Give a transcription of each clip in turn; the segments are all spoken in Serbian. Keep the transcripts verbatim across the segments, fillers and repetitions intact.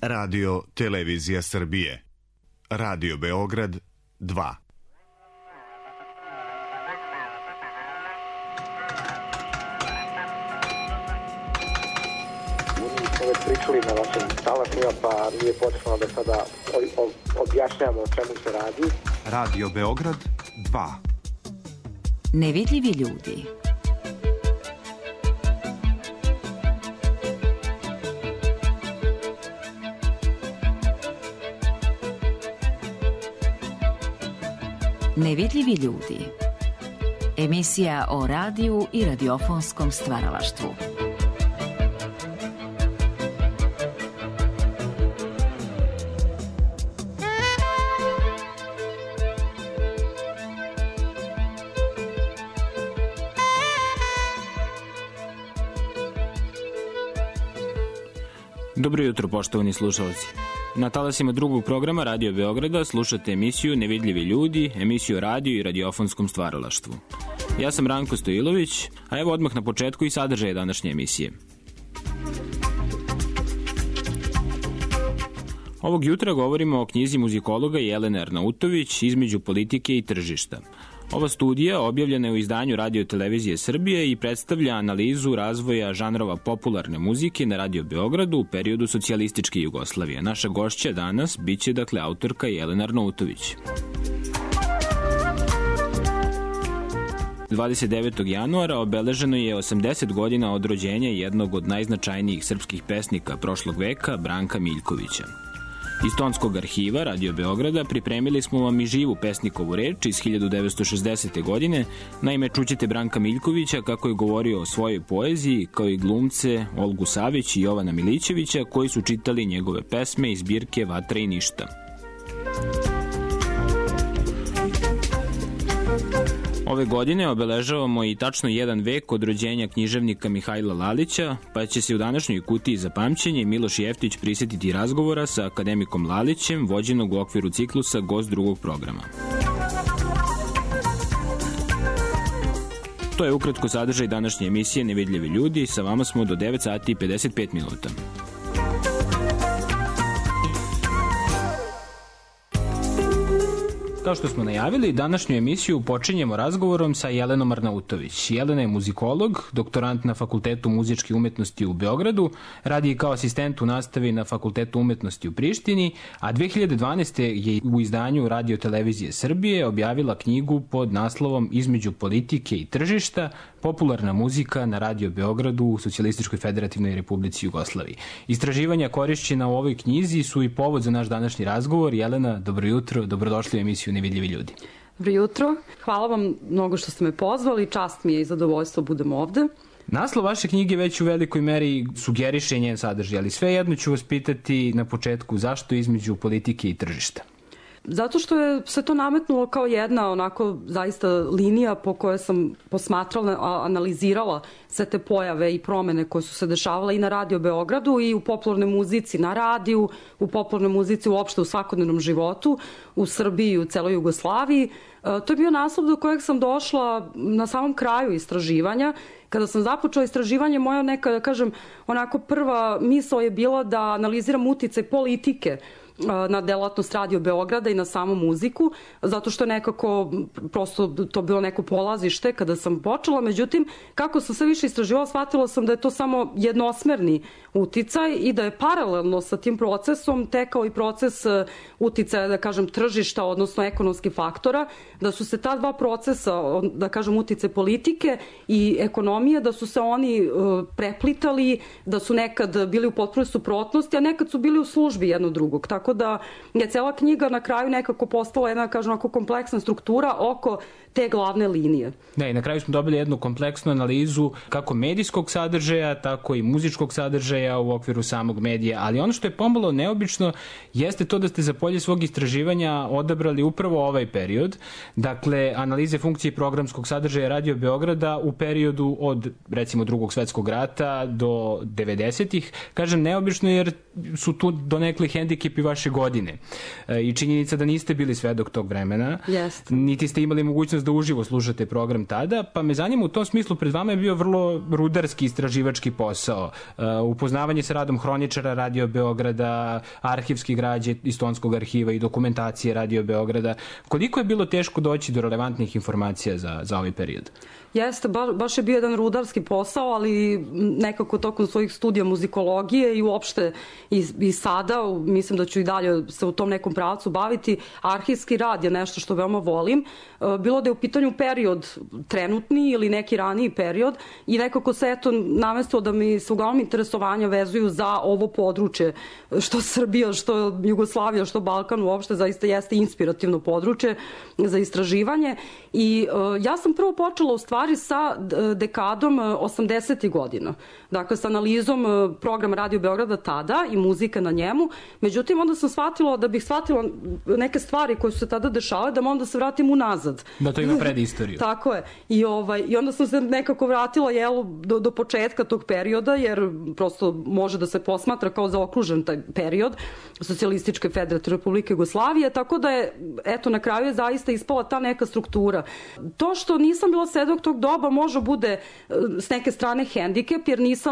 Radio Televizija Srbije. Radio Beograd dva. Već pričali na vašim talasima, pa nije potrebno da sada objašnjamo o čemu se radi. Radio Beograd dva. Nevidljivi ljudi. Nevidljivi ljudi. Emisija o radiju i radiofonskom stvaralaštvu. Dobro jutro, poštovani slušalci. Na talasima drugog programa Radio Beograda slušate emisiju Nevidljivi ljudi, emisiju o radiju i radiofonskom stvaralaštvu. Ja sam Ranko Stojilović, a evo odmah na početku i sadržaje današnje emisije. Ovog jutra govorimo o knjizi muzikologa Jelene Arnautović Između politike i tržišta. Ova studija objavljena je u izdanju Radio Televizije Srbije i predstavlja analizu razvoja žanrova popularne muzike na Radio Beogradu u periodu socijalističke Jugoslavije. Naša gošća danas biće dakle autorka Jelena Arnautović. dvadeset devetog januara obeleženo je osamdeset godina od rođenja jednog od najznačajnijih srpskih pesnika prošlog veka, Branka Miljkovića. Iz tonskog arhiva Radio Beograda pripremili smo vam i živu pesnikovu reč iz hiljadu devetsto šezdesete. godine. Naime, čućete Branka Miljkovića kako je govorio o svojoj poeziji, kao i glumce Olgu Savić i Jovana Milićevića koji su čitali njegove pesme iz zbirke Vatra i ništa. Ove godine obeležavamo i tačno jedan vek od rođenja književnika Mihajla Lalića, pa će se u današnjoj kutiji za pamćenje Miloš Jeftić prisetiti razgovora sa akademikom Lalićem, vođenog u okviru ciklusa Gost drugog programa. To je ukratko sadržaj današnje emisije Nevidljivi ljudi, sa vama smo do devet sati i pedeset pet minuta. Kao što smo najavili, današnju emisiju počinjemo razgovorom sa Jelenom Arnautović. Jelena je muzikolog, doktorant na Fakultetu muzičke umetnosti u Beogradu, radi kao asistent u nastavi na Fakultetu umetnosti u Prištini, a dve hiljade dvanaeste. je u izdanju Radio Televizije Srbije objavila knjigu pod naslovom Između politike i tržišta, popularna muzika na Radio Beogradu u Socijalističkoj federativnoj Republici Jugoslaviji. Istraživanja korišćena u ovoj knjizi su i povod za naš današnji razgovor. Jelena, dobro jutro, dobrodošli u emisiju Nevidljivi ljudi. Dobro jutro, hvala vam mnogo što ste me pozvali, čast mi je i zadovoljstvo budem ovde. Naslov vaše knjige već u velikoj meri sugeriše njen sadržaj, ali svejedno ću vas pitati na početku zašto između politike i tržišta. Zato što je se to nametnulo kao jedna onako zaista linija po kojoj sam posmatrala, analizirala sve te pojave i promene koje su se dešavale i na Radio Beogradu i u popularnoj muzici na radiju, u popularnoj muzici uopšte u svakodnevnom životu, u Srbiji i u celoj Jugoslaviji. To je bio naslov do kojeg sam došla na samom kraju istraživanja. Kada sam započela istraživanje, moja neka, da kažem, onako prva misao je bila da analiziram uticaj politike na delatnost Radio Beograda i na samu muziku, zato što je nekako prosto to bilo neko polazište kada sam počela. Međutim, kako sam sve više istraživala, shvatila sam da je to samo jednosmerni uticaj i da je paralelno sa tim procesom tekao i proces uticaja, da kažem, tržišta, odnosno ekonomskih faktora, da su se ta dva procesa, da kažem, uticaj politike i ekonomije, da su se oni preplitali, da su nekad bili u potpunoj suprotnosti, a nekad su bili u službi jedno drugog. Tako da je cela knjiga na kraju nekako postala jedna, kažem, onako kompleksna struktura oko te glavne linije. Da, i na kraju smo dobili jednu kompleksnu analizu kako medijskog sadržaja, tako i muzičkog sadržaja u okviru samog medija, ali ono što je pomalo neobično jeste to da ste za polje svog istraživanja odabrali upravo ovaj period, dakle, analize funkcije programskog sadržaja Radio Beograda u periodu od, recimo, Drugog svetskog rata do devedesetih. Kažem neobično jer su tu donekli hendikepi vaše vaše godine. I činjenica da niste bili svedok tog vremena, Jest. niti ste imali mogućnost da uživo slušate program tada, pa me zanima u tom smislu, pred vama je bio vrlo rudarski istraživački posao. Upoznavanje sa radom hroničara Radio Beograda, arhivski građe iz Tonskog arhiva i dokumentacije Radio Beograda. Koliko je bilo teško doći do relevantnih informacija za, za ovaj period? Jeste, ba, baš je bio jedan rudarski posao, ali nekako tokom svojih studija muzikologije i uopšte i, i sada, mislim da ću i dalje se u tom nekom pravcu baviti, arhivski rad je nešto što veoma volim. Bilo da je u pitanju period trenutni ili neki raniji period i nekako se eto namestilo da mi se uglavnom interesovanja vezuju za ovo područje, što Srbija, što Jugoslavija, što Balkan uopšte zaista jeste inspirativno područje za istraživanje i uh, ja sam prvo počela u stvari sa dekadom osamdesetih godina. Dakle, sa analizom programa Radio Beograda tada i muzika na njemu. Međutim, onda sam shvatila da bih shvatila neke stvari koje su se tada dešavale, da onda se vratim unazad. Da to ima predistoriju. Tako je. I, ovaj, I onda sam se nekako vratila jelu, do, do početka tog perioda, jer prosto može da se posmatra kao zaokružen taj period Socijalističke federativne Republike Jugoslavije, tako da je, eto, na kraju je zaista ispala ta neka struktura. To što nisam bila svedok tog doba može bude s neke strane hendikep, jer nisam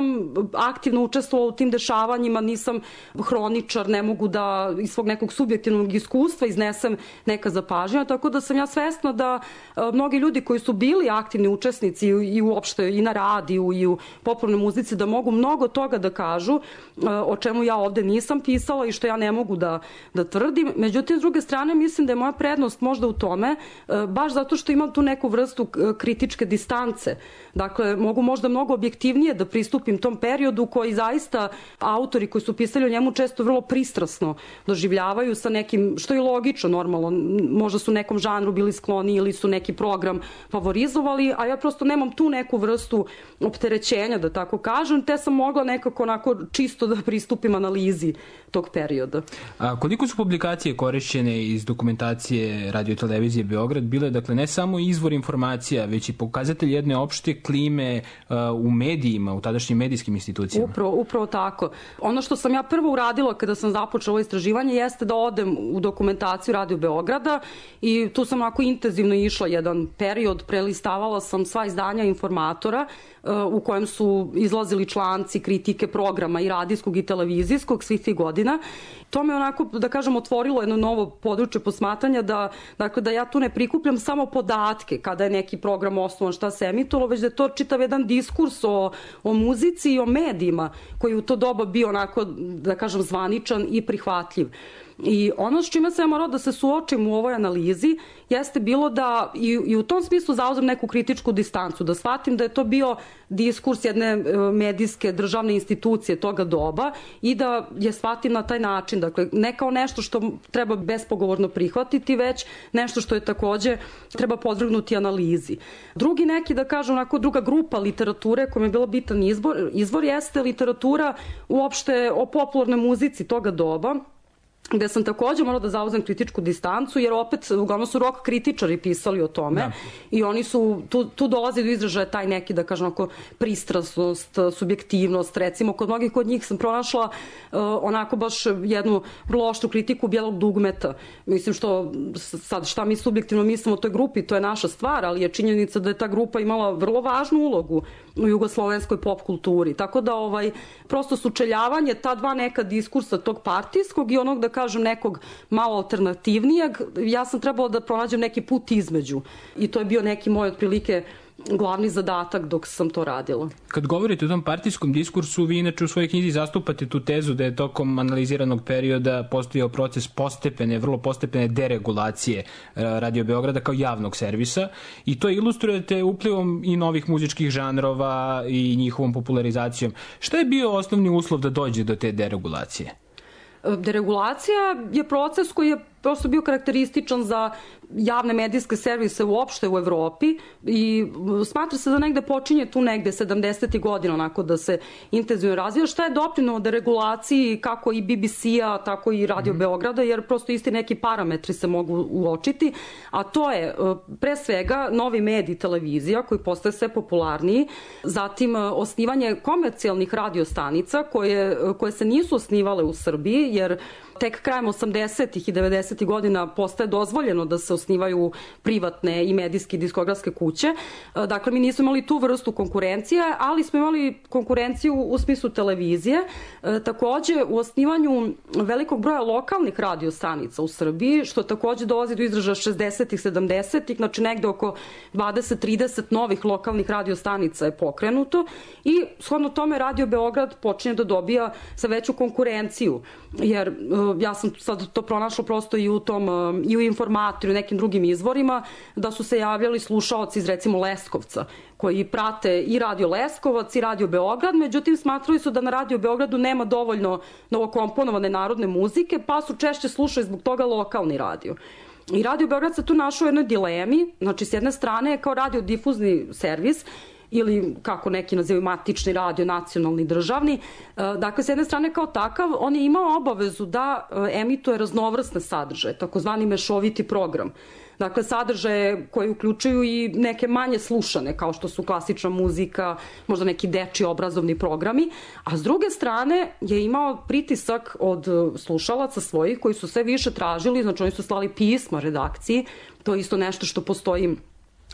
aktivno učestvovala u tim dešavanjima, nisam hroničar, ne mogu da iz svog nekog subjektivnog iskustva iznesem neka zapažnja, tako da sam ja svesna da a, mnogi ljudi koji su bili aktivni učesnici i, i uopšte i na radiju i u popularnoj muzici da mogu mnogo toga da kažu a, o čemu ja ovde nisam pisala i što ja ne mogu da, da tvrdim. Međutim, s druge strane, mislim da je moja prednost možda u tome, a, baš zato što imam tu neku vrstu kritičke distance. Dakle, mogu možda mnogo objektivnije da pristupim tom periodu koji zaista autori koji su pisali o njemu često vrlo pristrasno doživljavaju sa nekim, što je logično, normalno, možda su nekom žanru bili skloni ili su neki program favorizovali, a ja prosto nemam tu neku vrstu opterećenja, da tako kažem, te sam mogla nekako onako čisto da pristupim analizi tog perioda. A koliko su publikacije korišćene iz dokumentacije Radio televizije Beograd bile, dakle, ne samo izvor informacija, već i pokazatelj jedne opšte klime uh, u medijima, u tadašnjim medijskim institucijama? Upravo, upravo tako. Ono što sam ja prvo uradila kada sam započela ovo istraživanje jeste da odem u dokumentaciju Radio Beograda i tu sam onako intenzivno išla jedan period, prelistavala sam sva izdanja Informatora uh, u kojem su izlazili članci, kritike programa i radijskog i televizijskog svih tih godina. To me onako, da kažem, otvorilo jedno novo područje posmatranja da, dakle, da ja tu ne prikupljam samo podatke kada je neki program osnovan, šta se emitovalo, već da je to čitav jedan diskurs o, o muzici i o medijima koji u to doba bio onako, da kažem, zvaničan i prihvatljiv. I ono s čime sam ja morala da se suočim u ovoj analizi jeste bilo da i, i u tom smislu zauzem neku kritičku distancu, da shvatim da je to bio diskurs jedne medijske državne institucije toga doba i da je shvatim na taj način. Dakle, ne kao nešto što treba bespogovorno prihvatiti, već nešto što je takođe treba podvrgnuti analizi. Drugi neki, da kažem, onako druga grupa literature koja mi je bila bitan izbor, izvor jeste literatura uopšte o popularnoj muzici toga doba, gde sam takođe morala da zauzem kritičku distancu, jer opet uglavnom su rock kritičari pisali o tome, da. I oni su, tu, tu dolazi do izražaja taj neki, da kažem, onako pristrasnost, subjektivnost, recimo kod mnogih kod njih sam pronašla uh, onako baš jednu vrlo oštru kritiku bijelog dugmeta. Mislim što, sad šta mi subjektivno mislimo o toj grupi, to je naša stvar, ali je činjenica da je ta grupa imala vrlo važnu ulogu u jugoslovenskoj pop kulturi. Tako da ovaj, prosto sučeljavanje ta dva neka diskursa tog partijskog i onog, da kažem, nekog malo alternativnijeg, ja sam trebala da pronađem neki put između. I to je bio neki moj otprilike glavni zadatak dok sam to radila. Kad govorite o tom partijskom diskursu, vi inače u svojoj knjizi zastupate tu tezu da je tokom analiziranog perioda postojao proces postepene, vrlo postepene deregulacije Radio Beograda kao javnog servisa i to ilustrujete uplivom i novih muzičkih žanrova i njihovom popularizacijom. Šta je bio osnovni uslov da dođe do te deregulacije? Deregulacija je proces koji je prosto bio karakterističan za javne medijske servise uopšte u Evropi i smatra se da negde počinje tu negde sedamdesetih godina onako da se intenzivno razvija, šta je doprinelo deregulaciji kako i B B C-a, tako i Radio mm-hmm. Beograda, jer prosto isti neki parametri se mogu uočiti, a to je pre svega novi medij, televizija koji postaje sve popularniji, zatim osnivanje komercijalnih radiostanica koje, koje se nisu osnivale u Srbiji, jer tek krajem osamdesetih i devedesetih godina postaje dozvoljeno da se osnivaju privatne i medijske diskografske kuće. Dakle, mi nismo imali tu vrstu konkurencije, ali smo imali konkurenciju u smislu televizije. Takođe, u osnivanju velikog broja lokalnih radiostanica u Srbiji, što takođe dolazi do izražaja šezdesetih, sedamdesetih, znači negde oko dvadeset do trideset novih lokalnih radiostanica je pokrenuto i shodno tome Radio Beograd počinje da dobija sa veću konkurenciju, jer ja sam sad to pronašla prosto i u tom, i u Informatoru i nekim drugim izvorima, da su se javljali slušaoci iz recimo Leskovca, koji prate i Radio Leskovac i Radio Beograd, međutim smatrali su da na Radio Beogradu nema dovoljno novokomponovane narodne muzike, pa su češće slušali zbog toga lokalni radio. I Radio Beograd se tu našao u jednoj dilemi, znači s jedne strane kao radiodifuzni servis, ili kako neki nazivaju matični radio, nacionalni, državni. Dakle, s jedne strane kao takav, on je imao obavezu da emituje raznovrsne sadržaje, takozvani mešoviti program. Dakle, sadržaje koje uključuju i neke manje slušane, kao što su klasična muzika, možda neki dečji obrazovni programi, a s druge strane je imao pritisak od slušalaca svojih koji su sve više tražili, znači oni su slali pisma redakciji, to je isto nešto što postoji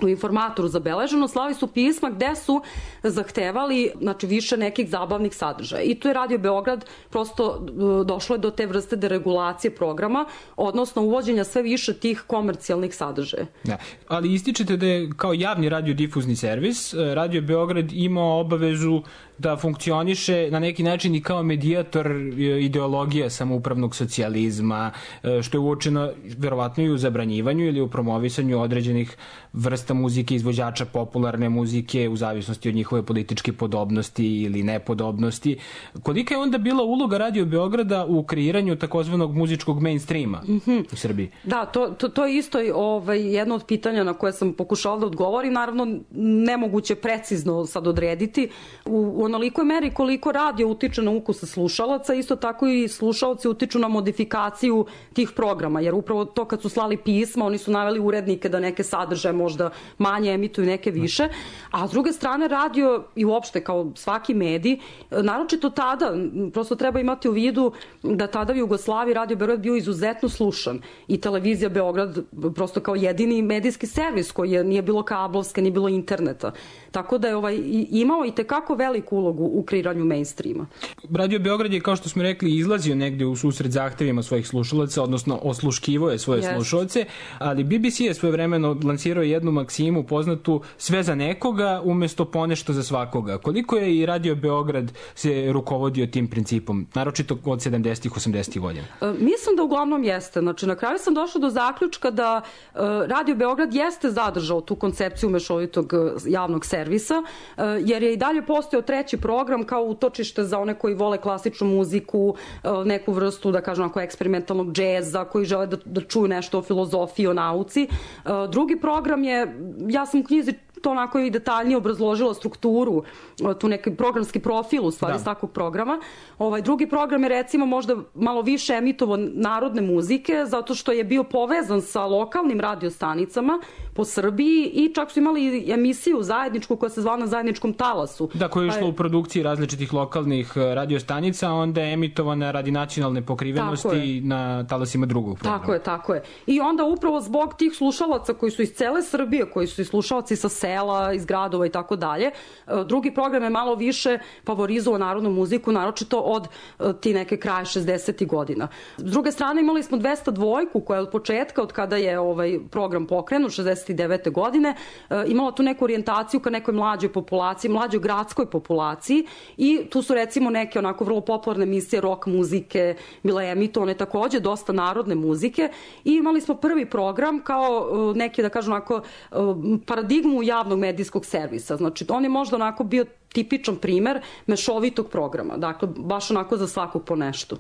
u Informatoru zabeleženo, slali su pisma gde su zahtevali znači, više nekih zabavnih sadržaja. I tu je Radio Beograd prosto došlo je do te vrste deregulacije programa, odnosno uvođenja sve više tih komercijalnih sadržaja. Da. Ali ističete da je kao javni radiodifuzni servis Radio Beograd imao obavezu da funkcioniše na neki način i kao medijator ideologija samoupravnog socijalizma, što je uočeno verovatno i u zabranjivanju ili u promovisanju određenih vrsta muzike, izvođača popularne muzike u zavisnosti od njihove političke podobnosti ili nepodobnosti. Kolika je onda bila uloga Radio Beograda u kreiranju takozvanog muzičkog mainstreama mm-hmm. u Srbiji? Da, to, to, to je isto ovaj, jedno od pitanja na koje sam pokušala da odgovorim. Naravno, nemoguće precizno sad odrediti. U, u onolikoj meri koliko radio utiče na ukuse slušalaca, isto tako i slušalci utiču na modifikaciju tih programa, jer upravo to kad su slali pisma, oni su naveli urednike da neke sadržaje možda manje emituju, neke više, a s druge strane radio i uopšte kao svaki medij, naročito tada, prosto treba imati u vidu da tada u Jugoslaviji Radio Beograd bio izuzetno slušan i televizija Beograd prosto kao jedini medijski servis koji je, nije bilo kablovske, nije bilo interneta. Tako da je ovaj, imao i tekako veliku ulogu u kreiranju mainstreama. Radio Beograd je, kao što smo rekli, izlazio negde u susret zahtevima svojih slušalaca, odnosno osluškivo je svoje yes. slušalce, ali B B C je svojevremeno lansirao jednu maksimu poznatu sve za nekoga umesto ponešto za svakoga. Koliko je i Radio Beograd se rukovodio tim principom, naročito od sedamdesetih, osamdesetih godina? E, mislim da uglavnom jeste. Znači, na kraju sam došla do zaključka da e, Radio Beograd jeste zadržao tu koncepciju mešovitog javnog servisa, e, jer je i dalje postojao treći program kao utočište za one koji vole klasičnu muziku, e, neku vrstu, da kažem, ako eksperimentalnog džeza, koji žele da, da čuju nešto o filozofiji, o nauci. E, drugi program je, ja sam u knjizi to onako i detaljnije obrazložila strukturu, tu neki programski profil u stvari da. S takvog programa. Ovaj drugi program je recimo možda malo više emitovo narodne muzike, zato što je bio povezan sa lokalnim radiostanicama po Srbiji i čak su imali emisiju zajedničku koja se zvala Na zajedničkom talasu. Da, koja je išla u produkciji različitih lokalnih radiostanica, a onda je emitovana radi nacionalne pokrivenosti na talasima drugog programa. Tako je, tako je. I onda upravo zbog tih slušalaca koji su iz cele Srbije, koji su i slušalci sa sela, iz gradova i tako dalje, drugi program je malo više favorizovao narodnu muziku, naročito od ti neke kraje šezdesetih godina. S druge strane imali smo dvesta dvojku koja je od početka, od kada je ovaj program pokrenut, šezdeset devete godine, imala tu neku orijentaciju ka nekoj mlađoj populaciji, mlađoj gradskoj populaciji i tu su recimo neke onako vrlo popularne emisije rock muzike, bile emitovane takođe dosta narodne muzike i imali smo prvi program kao neki, da kažem onako, paradigmu javnog medijskog servisa. Znači, on je možda onako bio tipičan primer mešovitog programa. Dakle, baš onako za svakog po nešto.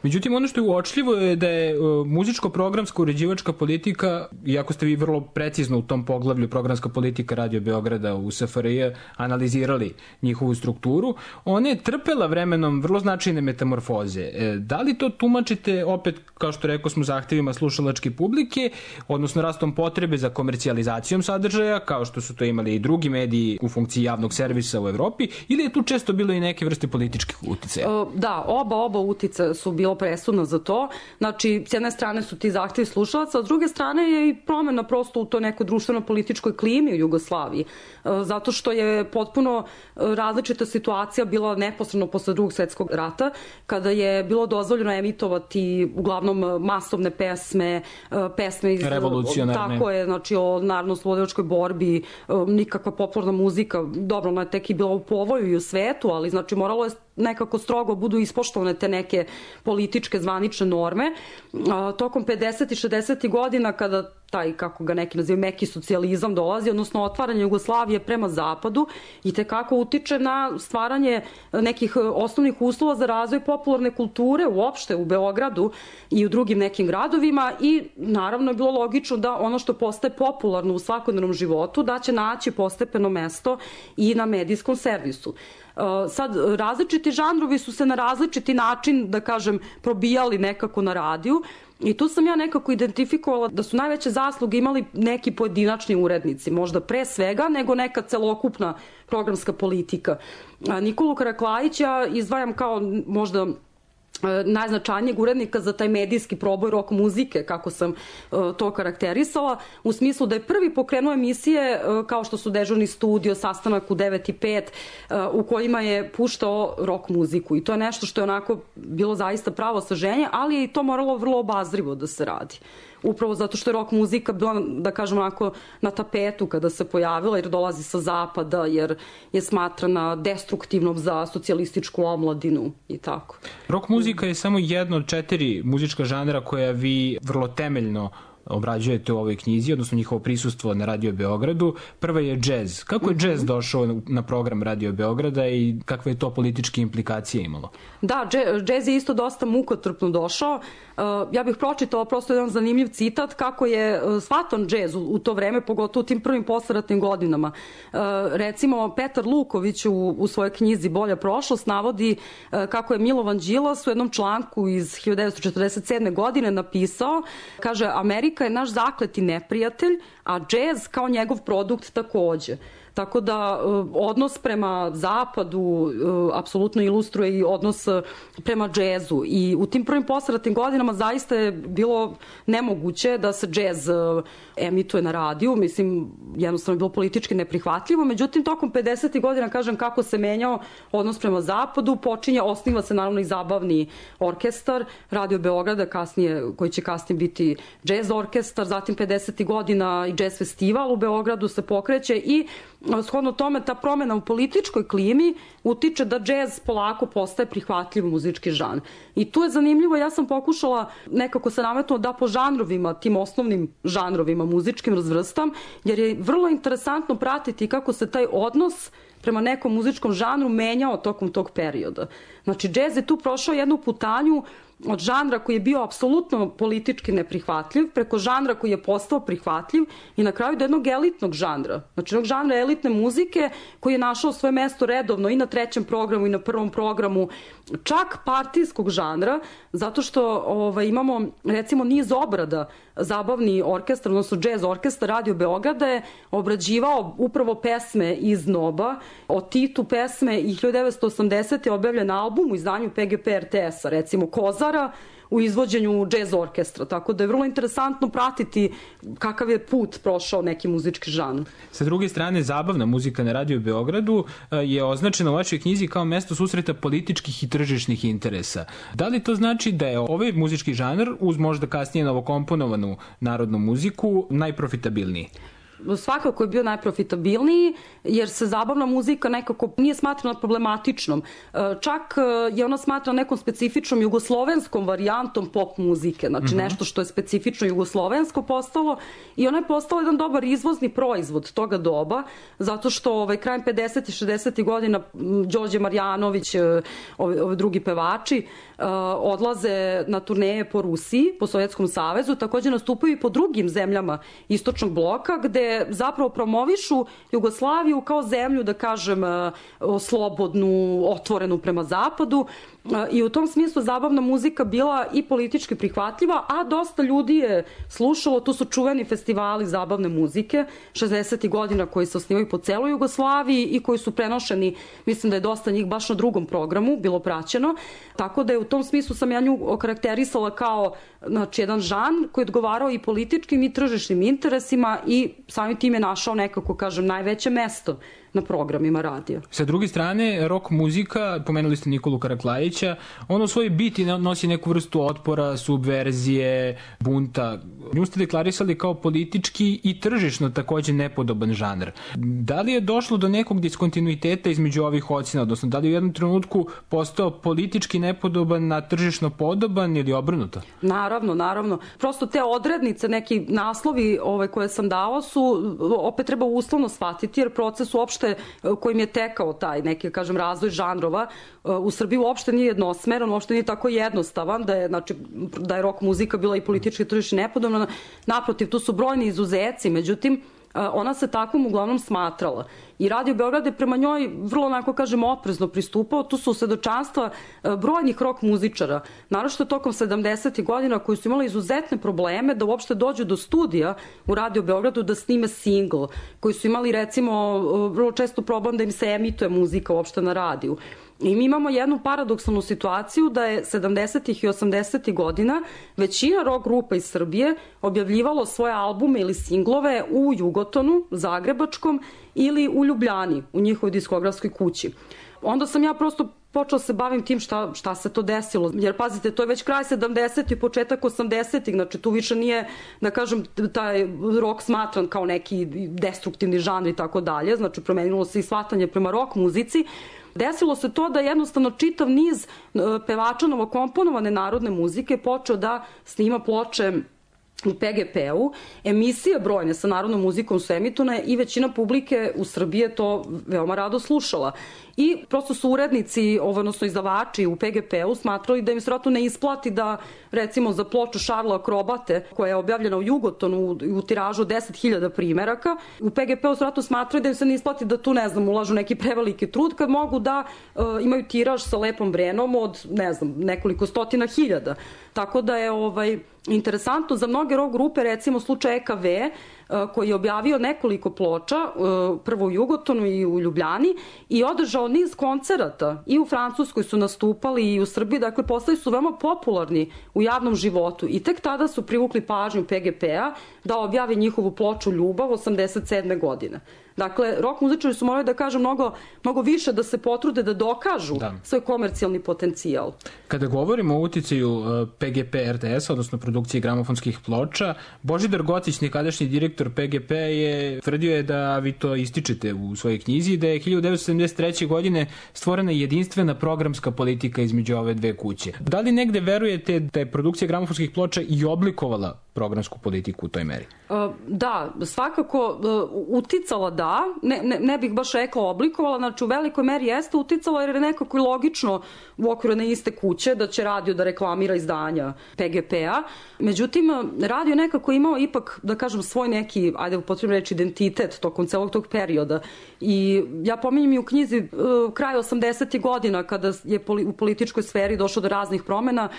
Međutim, ono što je uočljivo je da je uh, muzičko-programska uređivačka politika, iako ste vi vrlo precizno u tom poglavlju programska politika Radio Beograda u S F R J analizirali njihovu strukturu, ona je trpela vremenom vrlo značajne metamorfoze. E, da li to tumačite opet, kao što rekao smo, zahtevima slušalačke publike, odnosno rastom potrebe za komercijalizacijom sadržaja, kao što su to imali i drugi mediji u funkciji javnog servisa u Evropi, ili je tu često bilo i neke vrste političkih uticaja? Da, oba, oba uticaja su bilo presudna za to. Znači, s jedne strane su ti zahtevi slušalaca, a s druge strane je i promena prosto u to nekoj društveno-političkoj klimi u Jugoslaviji. Zato što je potpuno različita situacija bila neposredno posle Drugog svetskog rata, kada je bilo dozvoljeno emitovati uglavnom masovne pesme, pesme iz... revolucionarne. Tako je, znači o narodno-slobodilačkoj borbi, nikakva popularna muzika, dobro, ona je tek i bila u povoju i u svetu, ali znači moralo je nekako strogo budu ispoštovane te neke političke zvanične norme. Tokom pedesetih i šezdesetih godina, kada taj, kako ga neki nazivaju, meki socijalizam dolazi, odnosno otvaranje Jugoslavije prema zapadu, i tekako utiče na stvaranje nekih osnovnih uslova za razvoj popularne kulture uopšte u Beogradu i u drugim nekim gradovima, i naravno je bilo logično da ono što postaje popularno u svakodnevnom životu, da će naći postepeno mesto i na medijskom servisu. Sad, različiti žanrovi su se na različiti način, da kažem, probijali nekako na radiju, i tu sam ja nekako identifikovala da su najveće zasluge imali neki pojedinačni urednici, možda pre svega nego neka celokupna programska politika. Nikolu Karaklajića ja izdvajam kao možda najznačajnijeg urednika za taj medijski proboj rock muzike, kako sam to karakterisala, u smislu da je prvi pokrenuo emisije kao što su Dežurni studio, Sastanak u devet i pet, u kojima je puštao rock muziku, i to je nešto što je onako bilo zaista pravo saženje, ali je i to moralo vrlo obazrivo da se radi. Upravo zato što je rock muzika bila, da kažem, onako na tapetu kada se pojavila, jer dolazi sa zapada, jer je smatrana destruktivnom za socijalističku omladinu i tako. Rock muzika je samo jedno od četiri muzička žanra koja vi vrlo temeljno obrađujete u ovoj knjizi, odnosno njihovo prisustvo na Radio Beogradu. Prva je džez. Kako je džez došao na program Radio Beograda i kakve je to političke implikacije imalo? Da, džez je isto dosta mukotrpno došao. Ja bih pročitala prosto jedan zanimljiv citat kako je shvatan džez u to vreme, pogotovo u tim prvim posleratnim godinama. Recimo, Petar Luković u, u svojoj knjizi Bolja prošlost navodi kako je Milovan Đilas u jednom članku iz hiljadu devetsto četrdeset sedme. godine napisao, kaže, Amerika je naš zakleti neprijatelj, a džez kao njegov produkt takođe. Tako da odnos prema zapadu apsolutno ilustruje i odnos prema džezu. I u tim prvim posleratnim godinama zaista je bilo nemoguće da se džez emituje na radiju. Mislim, jednostavno je bilo politički neprihvatljivo. Međutim, tokom pedesetih godina, kažem, kako se menjao odnos prema zapadu, počinje, osniva se naravno i zabavni orkestar Radio Beograda, kasnije, koji će kasnije biti džez orkestar. Zatim pedesetih godina i džez festival u Beogradu se pokreće, i shodno tome ta promena u političkoj klimi utiče da džez polako postaje prihvatljiv muzički žanr. I tu je zanimljivo, ja sam pokušala nekako se nametnuo da po žanrovima, tim osnovnim žanrovima muzičkim razvrstam, jer je vrlo interesantno pratiti kako se taj odnos prema nekom muzičkom žanru menjao tokom tog perioda. Znači, džez je tu prošao jednu putanju od žanra koji je bio apsolutno politički neprihvatljiv, preko žanra koji je postao prihvatljiv, i na kraju do jednog elitnog žanra. Znači, jednog žanra elitne muzike koji je našao svoje mesto redovno i na trećem programu i na prvom programu, čak partijskog žanra, zato što ovaj, imamo recimo niz obrada. Zabavni orkestar, odnosno džez orkestar Radio Beograda je obrađivao upravo pesme iz Noba, o Titu pesme, i hiljadu devetsto osamdesete. je objavljen album u izdanju P G P R T S-a, recimo Kozara, u izvođenju džez orkestra, tako da je vrlo interesantno pratiti kakav je put prošao neki muzički žanr. Sa druge strane, zabavna muzika na Radio Beogradu je označena u vašoj knjizi kao mesto susreta političkih i tržišnih interesa. Da li to znači da je ovaj muzički žanr, uz možda kasnije novokomponovanu narodnu muziku, najprofitabilniji? Svakako je bio najprofitabilniji, jer se zabavna muzika nekako nije smatrana problematičnom. Čak je ona smatrana nekom specifičnom jugoslovenskom varijantom pop muzike, znači mm-hmm. nešto što je specifično jugoslovensko postalo, i ona je postala jedan dobar izvozni proizvod toga doba, zato što ovaj, krajem pedesetih i šezdesetih godina Đorđe Marjanović, ovi, ovi drugi pevači, odlaze na turneje po Rusiji, po Sovjetskom savezu, takođe nastupaju i po drugim zemljama istočnog bloka, gde zapravo promovišu Jugoslaviju kao zemlju, da kažem, slobodnu, otvorenu prema zapadu, i u tom smislu zabavna muzika bila i politički prihvatljiva, a dosta ljudi je slušalo. Tu su čuveni festivali zabavne muzike šezdesetih godina koji se osnivaju po celoj Jugoslaviji i koji su prenošeni, mislim da je dosta njih baš na drugom programu bilo praćeno, tako da je u tom smislu sam ja nju okarakterisala kao, znači, jedan žan koji je odgovarao i političkim i tržišnim interesima i samim tim je našao nekako, kažem, najveće mesto na programima radija. Sa druge strane, rock muzika, pomenuli ste Nikolu Karaklajića, ono u svojoj biti nosi neku vrstu otpora, subverzije, bunta. Nju ste deklarisali kao politički i tržišno takođe nepodoban žanr. Da li je došlo do nekog diskontinuiteta između ovih ocena, odnosno da li je u jednom trenutku postao politički nepodoban na tržišno podoban ili obrnuto? Naravno, naravno. Prosto te odrednice, neki naslovi ove koje sam dao su, opet treba uslovno shvatiti, jer proces uopšte kojim je tekao taj neki, kažem, razvoj žanrova u Srbiji uopšte nije jednosmeran, uopšte nije tako jednostavan da je, znači, da je rock muzika bila i politički tržišno nepodobna. Naprotiv, tu su brojni izuzeci, međutim, ona se takvom uglavnom smatrala. I Radio Beograd je prema njoj vrlo, onako kažem, oprezno pristupao. Tu su svedočanstva brojnih rock muzičara, naročito tokom sedamdesetih godina, koji su imali izuzetne probleme da uopšte dođu do studija u Radio Beogradu da snime singl, koji su imali, recimo, vrlo često problem da im se emituje muzika uopšte na radiju. I mi imamo jednu paradoksalnu situaciju da je sedamdesetih i osamdesetih godina većina rock grupa iz Srbije objavljivalo svoje albume ili singlove u Jugotonu, Zagrebačkom, ili u Ljubljani, u njihovoj diskografskoj kući. Onda sam ja prosto počela se bavim tim šta, šta se to desilo. Jer, pazite, to je već kraj sedamdesetih i početak osamdesetih, znači tu više nije, da kažem, taj rock smatran kao neki destruktivni žanr i tako dalje, znači promenilo se i shvatanje prema rock muzici. Desilo se to da jednostavno čitav niz pevača novokomponovane narodne muzike počeo da snima ploče u P G P-u, emisije brojne sa narodnom muzikom su emitovane i većina publike u Srbiji je to veoma rado slušala. I prosto su urednici, odnosno izdavači u P G P-u smatrali da im se vratno ne isplati da, recimo, za ploču Šarla Akrobate, koja je objavljena u Jugotonu u tiražu deset hiljada primeraka, u P G P-u se vratno smatrali da im se ne isplati da tu, ne znam, ulažu neki preveliki trud, kad mogu da uh, imaju tiraž sa Lepom Brenom od, ne znam, nekoliko stotina hiljada. Tako da je ovaj, interesantno za mnoge rock grupe, recimo slučaj E K V, koji je objavio nekoliko ploča, prvo u Jugotonu i u Ljubljani, i održao niz koncerata i u Francuskoj su nastupali i u Srbiji, dakle postali su veoma popularni u javnom životu i tek tada su privukli pažnju P G P-a da objavi njihovu ploču Ljubav osamdeset sedme godine. Dakle, rock muzičari su morali da kažu mnogo, mnogo više da se potrude da dokažu da. svoj komercijalni potencijal. Kada govorimo o uticaju P G P R T S, odnosno produkcije gramofonskih ploča, Božidar Gocić, nekadašnji direktor P G P, je tvrdio je da vi to ističete u svojoj knjizi, da je hiljadu devetsto sedamdeset treće. godine stvorena jedinstvena programska politika između ove dve kuće. Da li negde verujete da je produkcija gramofonskih ploča i oblikovala programsku politiku u toj meri? Da, svakako uticala da, ne, ne, ne bih baš rekla oblikovala, znači u velikoj meri jeste uticala jer je nekako i logično u okviru ne iste kuće da će radio da reklamira izdanja P G P-a. Međutim, radio nekako imao ipak, da kažem, svoj neki, ajde upotrebno reći, identitet tokom celog tog perioda. I ja pominjem i u knjizi kraj osamdesetih godina, kada je u političkoj sferi došlo do raznih promena,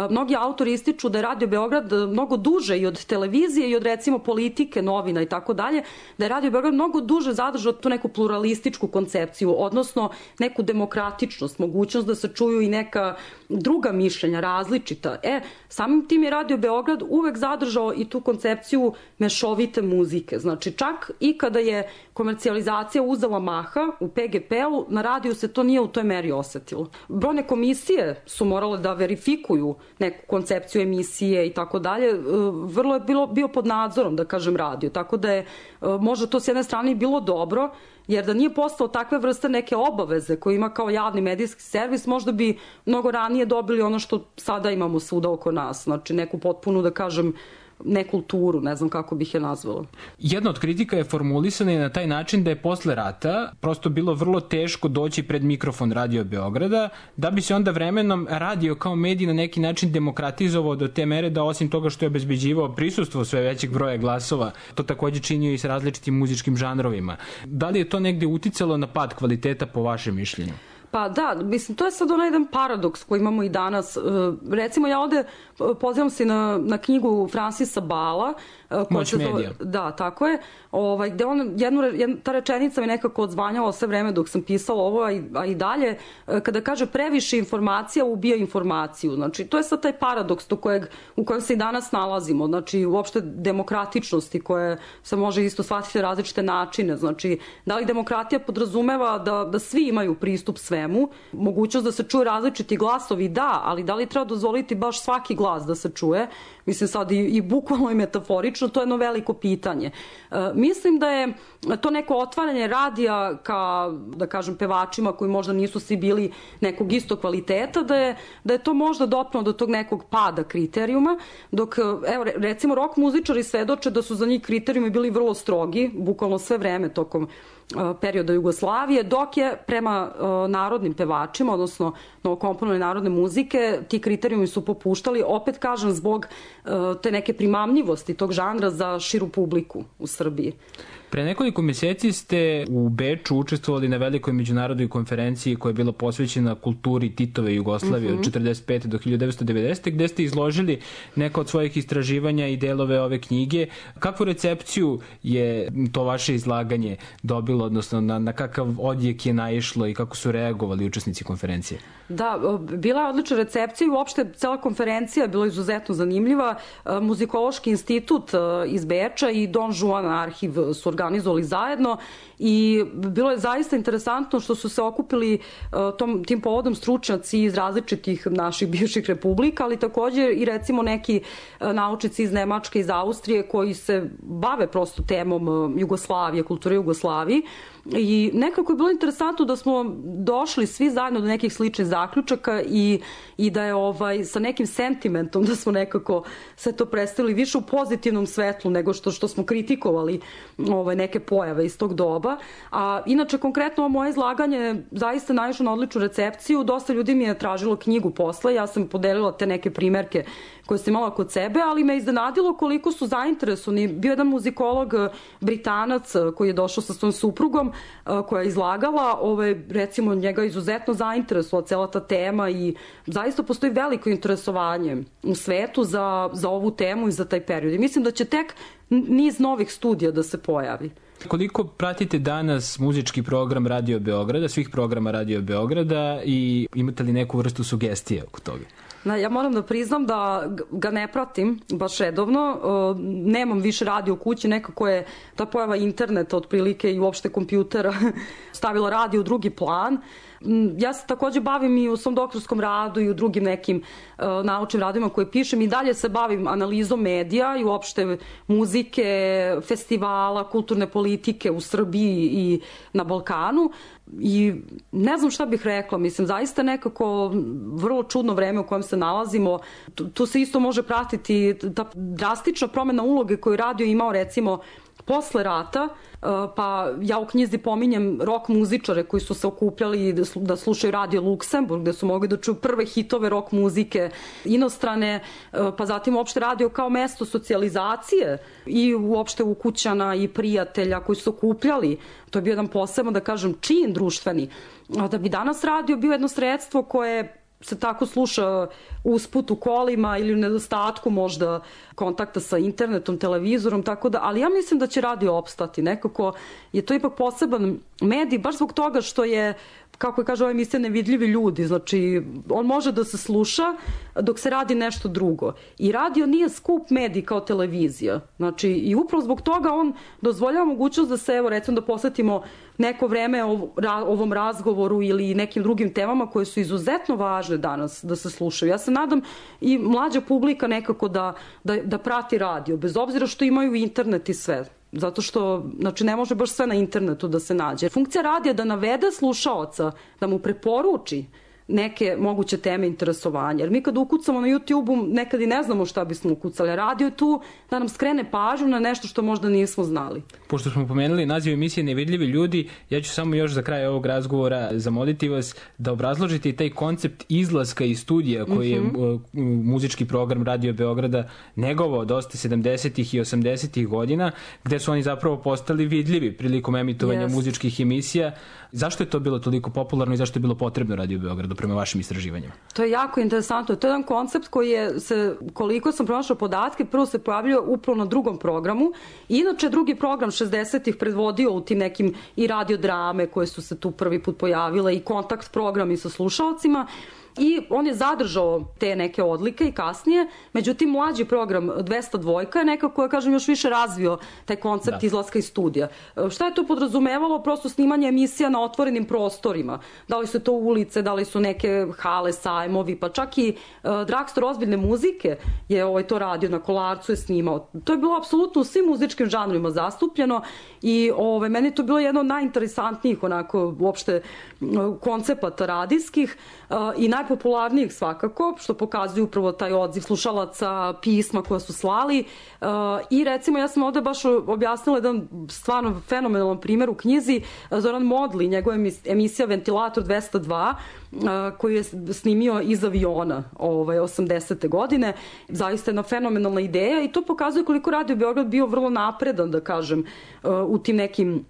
mnogi autori ističu da je Radio Beograd mnogo duže i od televizije i od, recimo, politike, novina i tako dalje, da je Radio Beograd mnogo duže zadržao tu neku pluralističku koncepciju, odnosno neku demokratičnost, mogućnost da se čuju i neka druga mišljenja, različita. E, samim tim je Radio Beograd uvek zadržao i tu koncepciju mešovite muzike. Znači, čak i kada je komercijalizacija uzela maha u P G P-u, na radiju se to nije u toj meri osetilo. Brojne komisije su morale da verifikuju neku koncepciju emisije i tako dalje. Vrlo je bilo, bio pod nadzorom, da kažem, radio. Tako da je možda to s jedne strane bilo dobro, jer da nije postao takve vrste neke obaveze koje ima kao javni medijski servis, možda bi mnogo ranije dobili ono što sada imamo svuda oko nas. Znači, neku potpunu, da kažem, nekulturu, ne znam kako bih je nazvala. Jedna od kritika je formulisana i na taj način da je posle rata prosto bilo vrlo teško doći pred mikrofon Radio Beograda, da bi se onda vremenom radio kao medij na neki način demokratizovao do te mere da osim toga što je obezbeđivao prisustvo sve većeg broja glasova, to takođe činio i sa različitim muzičkim žanrovima. Da li je to negde uticalo na pad kvaliteta po vašem mišljenju? Pa da, mislim, to je sad onaj jedan paradoks koji imamo i danas. Recimo, ja ovde pozivam se na, na knjigu Francisa Bala. Moć medija. Da, tako je. Ovaj, gde on, jednu, jedna, ta rečenica mi nekako odzvanjala sve vreme dok sam pisala ovo, a i, a i dalje, kada kaže previše informacija ubija informaciju. Znači, to je sad taj paradoks do kojeg, u kojem se i danas nalazimo. Znači, uopšte demokratičnosti koje se može isto shvatiti različite načine. Znači, da li demokratija podrazumeva da, da svi imaju pristup svemu, mogućnost da se čuje različiti glasovi, da, ali da li treba dozvoliti baš svaki glas da se čuje? Mislim sad i, i bukvalno i metaforično, to je jedno veliko pitanje. E, mislim da je to neko otvaranje radija ka, da kažem, pevačima koji možda nisu svi bili nekog istog kvaliteta, da je, da je to možda dopnulo do tog nekog pada kriterijuma, dok, evo, recimo, rock muzičari svedoče da su za njih kriterijumi bili vrlo strogi, bukvalno sve vreme tokom perioda Jugoslavije, dok je prema uh, narodnim pevačima, odnosno novokomponovane narodne muzike, ti kriterijumi su popuštali, opet kažem, zbog uh, te neke primamljivosti tog žanra za širu publiku u Srbiji. Pre nekoliko meseci ste u Beču učestvovali na velikoj međunarodnoj konferenciji koja je bila posvećena kulturi Titove Jugoslavije mm-hmm. od četrdeset pete do hiljadu devetsto devedesete. gde ste izložili neka od svojih istraživanja i delove ove knjige. Kakvu recepciju je to vaše izlaganje dobilo, odnosno na, na kakav odjek je naišlo i kako su reagovali učesnici konferencije? Da, bila je odlična recepcija i uopšte cela konferencija je bila izuzetno zanimljiva. Muzikološki institut iz Beča i Don Juan arhiv su organizovali zajedno i bilo je zaista interesantno što su se okupili tom, tim povodom stručnjaci iz različitih naših bivših republika, ali takođe i recimo neki naučnici iz Nemačke, iz Austrije koji se bave prosto temom Jugoslavije, kulture Jugoslavije. I nekako je bilo interesantno da smo došli svi zajedno do nekih sličnih zaključaka i, i da je ovaj, sa nekim sentimentom da smo nekako sve to predstavili više u pozitivnom svetlu nego što, što smo kritikovali ovaj, neke pojave iz tog doba. A inače, konkretno ovo moje izlaganje zaista naišlo na odličnu recepciju. Dosta ljudi mi je tražilo knjigu posle. Ja sam podelila te neke primerke koje sam imala kod sebe, ali me iznenadilo koliko su zainteresovani. Bio jedan muzikolog Britanac koji je došao sa svojom suprugom koja je izlagala, ovaj, recimo njega izuzetno zainteresovala cela ta tema i zaista postoji veliko interesovanje u svetu za, za ovu temu i za taj period. I mislim da će tek niz novih studija da se pojavi. Koliko pratite danas muzički program Radio Beograda, svih programa Radio Beograda i imate li neku vrstu sugestije oko toga? Ja moram da priznam da ga ne pratim baš redovno, nemam više radio u kući, nekako je ta pojava interneta otprilike i uopšte kompjutera stavila radio u drugi plan. Ja se takođe bavim i u svom doktorskom radu i u drugim nekim uh, naučnim radovima koje pišem i dalje se bavim analizom medija i uopšte muzike, festivala, kulturne politike u Srbiji i na Balkanu i ne znam šta bih rekla, mislim, zaista nekako vrlo čudno vreme u kojem se nalazimo. Tu, tu se isto može pratiti ta drastična promena uloge koju radio imao recimo posle rata, pa ja u knjizi pominjem rock muzičare koji su se okupljali da slušaju Radio Luksemburg, gde su mogli da čuju prve hitove rock muzike inostrane, pa zatim uopšte radio kao mesto socijalizacije i uopšte ukućana i prijatelja koji su okupljali. To je bio jedan posebno, da kažem, čin društveni. Da bi danas radio bio jedno sredstvo koje se tako sluša usput u kolima ili u nedostatku možda kontakta sa internetom, televizorom, tako da, ali ja mislim da će radio opstati. Nekako je to ipak poseban medij, baš zbog toga što je, kako je kaže ova emisija, nevidljivi ljudi. Znači, on može da se sluša dok se radi nešto drugo. I radio nije skup medij kao televizija. Znači, i upravo zbog toga on dozvoljava mogućnost da se, evo, recimo da posvetimo neko vreme ovom razgovoru ili nekim drugim temama koje su izuzetno važne danas da se slušaju. Ja se nadam i mlađa publika nekako da, da, da prati radio, bez obzira što imaju internet i sve. Zato što, znači, ne može baš sve na internetu da se nađe. Funkcija radija je da navede slušaoca, da mu preporuči neke moguće teme interesovanja. Jer mi kad ukucamo na YouTube-u nekad i ne znamo šta bismo ukucali. Radio je tu da nam skrene pažnju na nešto što možda nismo znali. Pošto smo pomenuli naziv emisije Nevidljivi ljudi, ja ću samo još za kraj ovog razgovora zamoliti vas da obrazložite i taj koncept izlaska iz studija koji je mm-hmm. muzički program Radio Beograda negovao dosta sedamdesetih i osamdesetih godina, gde su oni zapravo postali vidljivi prilikom emitovanja yes. muzičkih emisija. Zašto je to bilo toliko popularno i zašto je bilo potrebno Radio Beogradu prema vašim istraživanjima? To je jako interesantno. To je jedan koncept koji je, se, koliko sam pronašla podatke, prvo se pojavljio upravo na drugom programu. Inače, drugi program šezdesetih predvodio u tim nekim i radiodrame koje su se tu prvi put pojavile i kontakt programi sa slušalcima. I on je zadržao te neke odlike i kasnije, međutim mlađi program dvesta dva je nekako, ja kažem, još više razvio taj koncept da. izlaska iz studija. Šta je to podrazumevalo? Prosto snimanje emisija na otvorenim prostorima. Da li su to ulice, da li su neke hale, sajmovi, pa čak i uh, Dragstor ozbiljne muzike je ovaj, to radio, na Kolarcu je snimao. To je bilo apsolutno u svim muzičkim žanrima zastupljeno i ovaj, meni je to bilo jedno od najinteresantnijih onako uopšte koncepata radijskih uh, i naj najpopularnijih svakako, što pokazuju upravo taj odziv slušalaca, pisma koja su slali. Uh, I recimo, ja sam ovde baš objasnila jedan stvarno fenomenalan primjer u knjizi. Zoran Modli, njegova emisija Ventilator dvesta dva, uh, koju je snimio iz aviona ovaj, osamdesete godine. Zaista jedna fenomenalna ideja i to pokazuje koliko Radio Beograd bio vrlo napredan, da kažem, uh, u tim nekim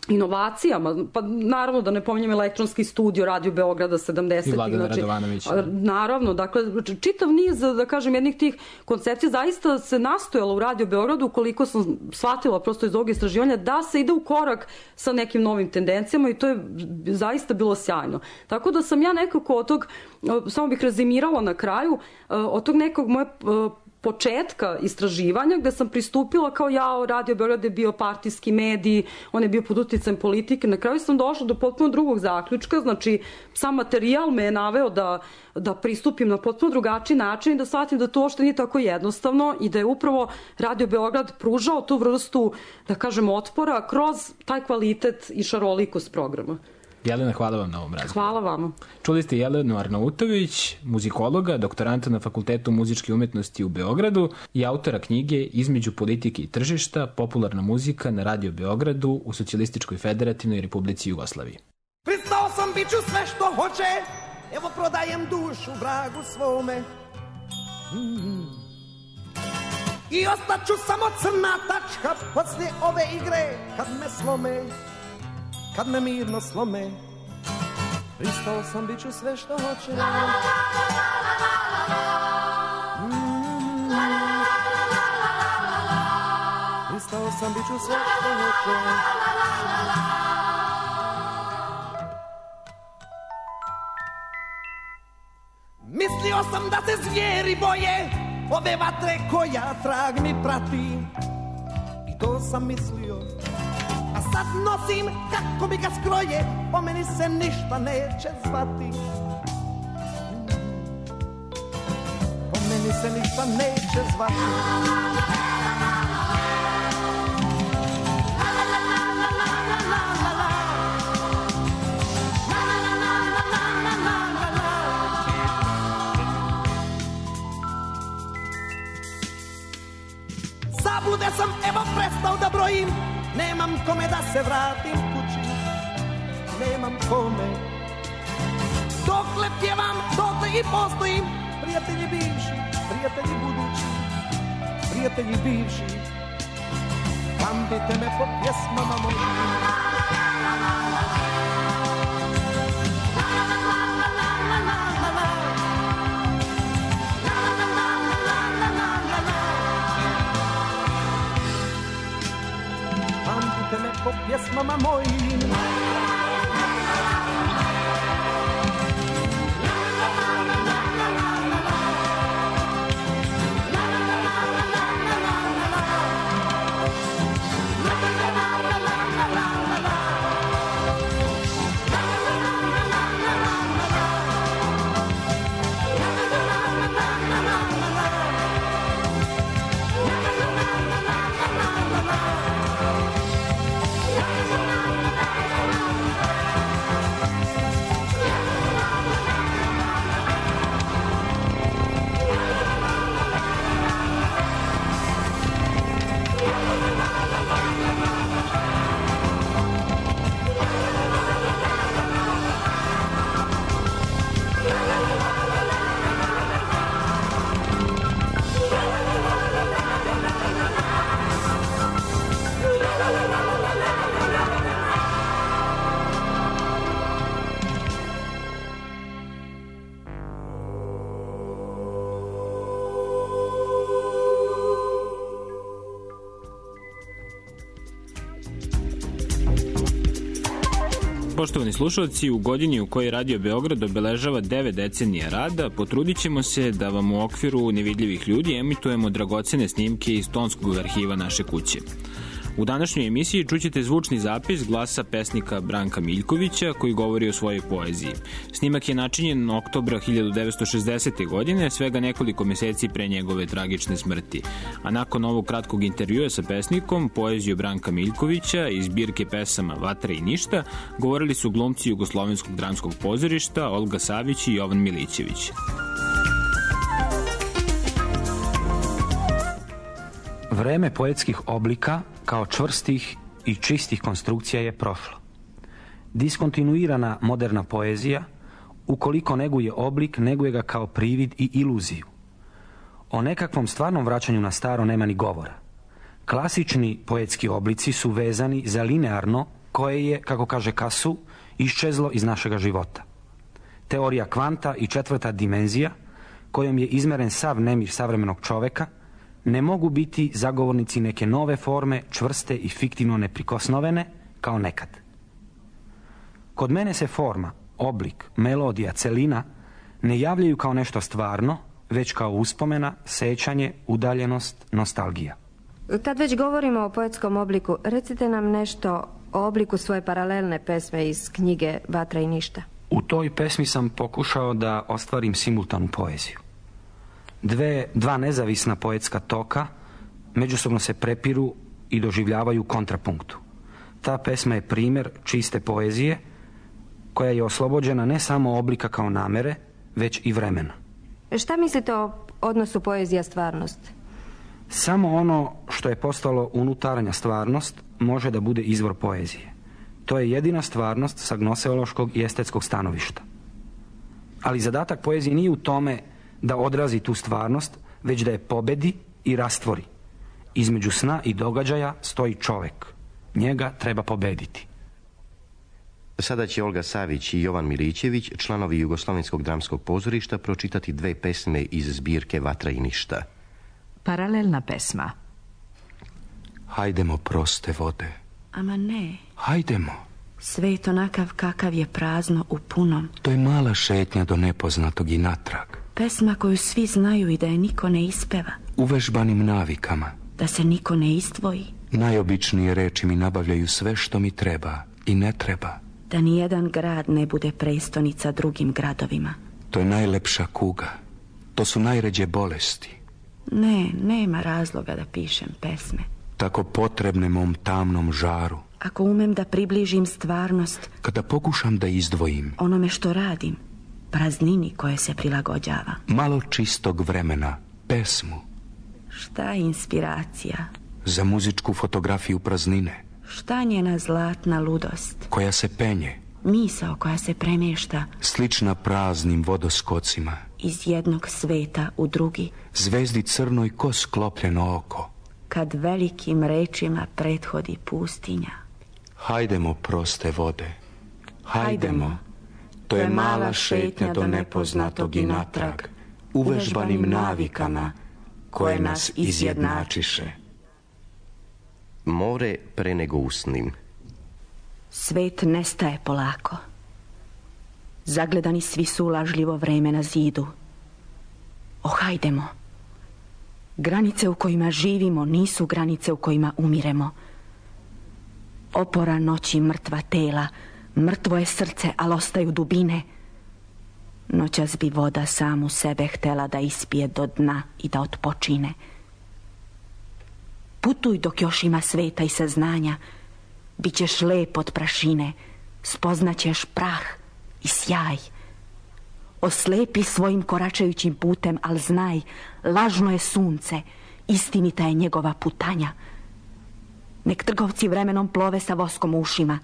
inovacijama, pa naravno da ne pominjem elektronski studio Radio Beograda sedamdesetih. I Vladana znači, Radovanovića. Naravno, dakle, čitav niz, da kažem, jednih tih koncepcija zaista se nastojalo u Radio Beogradu, koliko sam shvatila prosto iz ovog istraživanja, da se ide u korak sa nekim novim tendencijama i to je zaista bilo sjajno. Tako da sam ja nekako od tog, samo bih rezimirala na kraju, od tog nekog moje početka istraživanja gde sam pristupila kao ja, Radio Beograd je bio partijski medij, on je bio pod uticajem politike. Na kraju sam došla do potpuno drugog zaključka, znači sam materijal me je naveo da, da pristupim na potpuno drugačiji način i da shvatim da to uopšte nije tako jednostavno i da je upravo Radio Beograd pružao tu vrstu, da kažem, otpora kroz taj kvalitet i šarolikost programa. Jelena, hvala vam na ovom razgovoru. Hvala vama. Čuli ste Jelenu Arnautović, muzikologa, doktoranta na Fakultetu muzičke umetnosti u Beogradu i autora knjige Između politike i tržišta, popularna muzika na Radio Beogradu u Socijalističkoj federativnoj Republici Jugoslaviji. Pristao sam, bit ću sve što hoće, evo prodajem dušu vragu svome. Mm. I ostaću samo crna tačka poslije ove igre, kad me slome. Kad me mirno slome, pristao sam, bit ću sve što hoće. Mm. Pristao sam, bit ću sve što hoće. Mislio sam da se zvijeri boje ove vatre koja trag mi prati. I to sam mislio, a sad nosim kako mi ga skroje, po meni se ništa neće zvati. Po meni se ništa neće zvati. Zabude sam, evo prestao da brojim, nemam kome da se vratim kući, nemam kome. Dokle pjevam, dotle i postojim, prijatelji bivši, prijatelji budući, prijatelji bivši, pamtite me po pjesmama mojim. Pamtite me po pjesmama mojim. La la la la la la. Poštovani slušalci, u godini u kojoj Radio Beograd obeležava devet decenija rada, potrudit ćemo se da vam u okviru nevidljivih ljudi emitujemo dragocene snimke iz tonskog arhiva naše kuće. U današnjoj emisiji čućete zvučni zapis glasa pesnika Branka Miljkovića koji govori o svojoj poeziji. Snimak je načinjen oktobra hiljadu devetsto šezdesete. godine, svega nekoliko meseci pre njegove tragične smrti. A nakon ovog kratkog intervjua sa pesnikom, poeziju Branka Miljkovića iz zbirke pesama Vatra i ništa, govorili su glumci Jugoslovenskog dramskog pozorišta Olga Savić i Jovan Milićević. Vreme poetskih oblika kao čvrstih i čistih konstrukcija je prošlo. Diskontinuirana moderna poezija, ukoliko neguje oblik, neguje ga kao privid i iluziju. O nekakvom stvarnom vraćanju na staro nema ni govora. Klasični poetski oblici su vezani za linearno koje je, kako kaže Kasu, iščezlo iz našega života. Teorija kvanta i četvrta dimenzija, kojom je izmeren sav nemir savremenog čoveka, ne mogu biti zagovornici neke nove forme, čvrste i fiktivno neprikosnovene, kao nekad. Kod mene se forma, oblik, melodija, celina ne javljaju kao nešto stvarno, već kao uspomena, sećanje, udaljenost, nostalgija. Kad već govorimo o poetskom obliku, recite nam nešto o obliku svoje paralelne pesme iz knjige Vatra i ništa. U toj pesmi sam pokušao da ostvarim simultanu poeziju. Dve, dva nezavisna poetska toka međusobno se prepiru i doživljavaju kontrapunktu. Ta pesma je primjer čiste poezije koja je oslobođena ne samo oblika kao namere, već i vremena. Šta mislite o odnosu poezija-stvarnost? Samo ono što je postalo unutarnja stvarnost može da bude izvor poezije. To je jedina stvarnost sa gnoseološkog i estetskog stanovišta. Ali zadatak poezije nije u tome da odrazi tu stvarnost, već da je pobedi i rastvori. Između sna i događaja stoji čovek. Njega treba pobediti. Sada će Olga Savić i Jovan Milićević, članovi Jugoslovenskog dramskog pozorišta, pročitati dve pesme iz zbirke Vatra i ništa. Paralelna pesma. Hajdemo, proste vode. Ama ne. Hajdemo. Svet onakav kakav je, prazno u punom. To je mala šetnja do nepoznatog i natrag. Pesma koju svi znaju i da je niko ne ispeva. Uvežbanim navikama. Da se niko ne izdvoji. Najobičnije reči mi nabavljaju sve što mi treba i ne treba. Da nijedan grad ne bude prestonica drugim gradovima. To je najlepša kuga. To su najređe bolesti. Ne, nema razloga da pišem pesme. Tako potrebne mom tamnom žaru. Ako umem da približim stvarnost. Kada pokušam da izdvojim. Onome što radim. Praznini koje se prilagođava. Malo čistog vremena, pesmu. Šta je inspiracija? Za muzičku fotografiju praznine. Šta njena zlatna ludost? Koja se penje. Misao koja se premješta. Slična praznim vodoskocima. Iz jednog sveta u drugi. Zvezdi crnoj ko sklopljeno oko. Kad velikim rečima prethodi pustinja. Hajdemo, proste vode. Hajdemo. Hajdemo. To je mala šetnja do nepoznatog i natrag, uvežbanim navikama koje nas izjednačiše. More pre nego usnim. Svet nestaje polako. Zagledani svi su lažljivo vreme na zidu. Ohajdemo. Granice u kojima živimo nisu granice u kojima umiremo. Opora noći mrtva tela, mrtvo je srce, ali ostaju dubine. Noćas bi voda samu sebe htela da ispije do dna i da otpočine. Putuj dok još ima sveta i saznanja. Bićeš lep od prašine, spoznaćeš prah i sjaj. Oslepi svojim koračajućim putem, al znaj, lažno je sunce, istinita je njegova putanja. Nek trgovci vremenom plove sa voskom u ušima.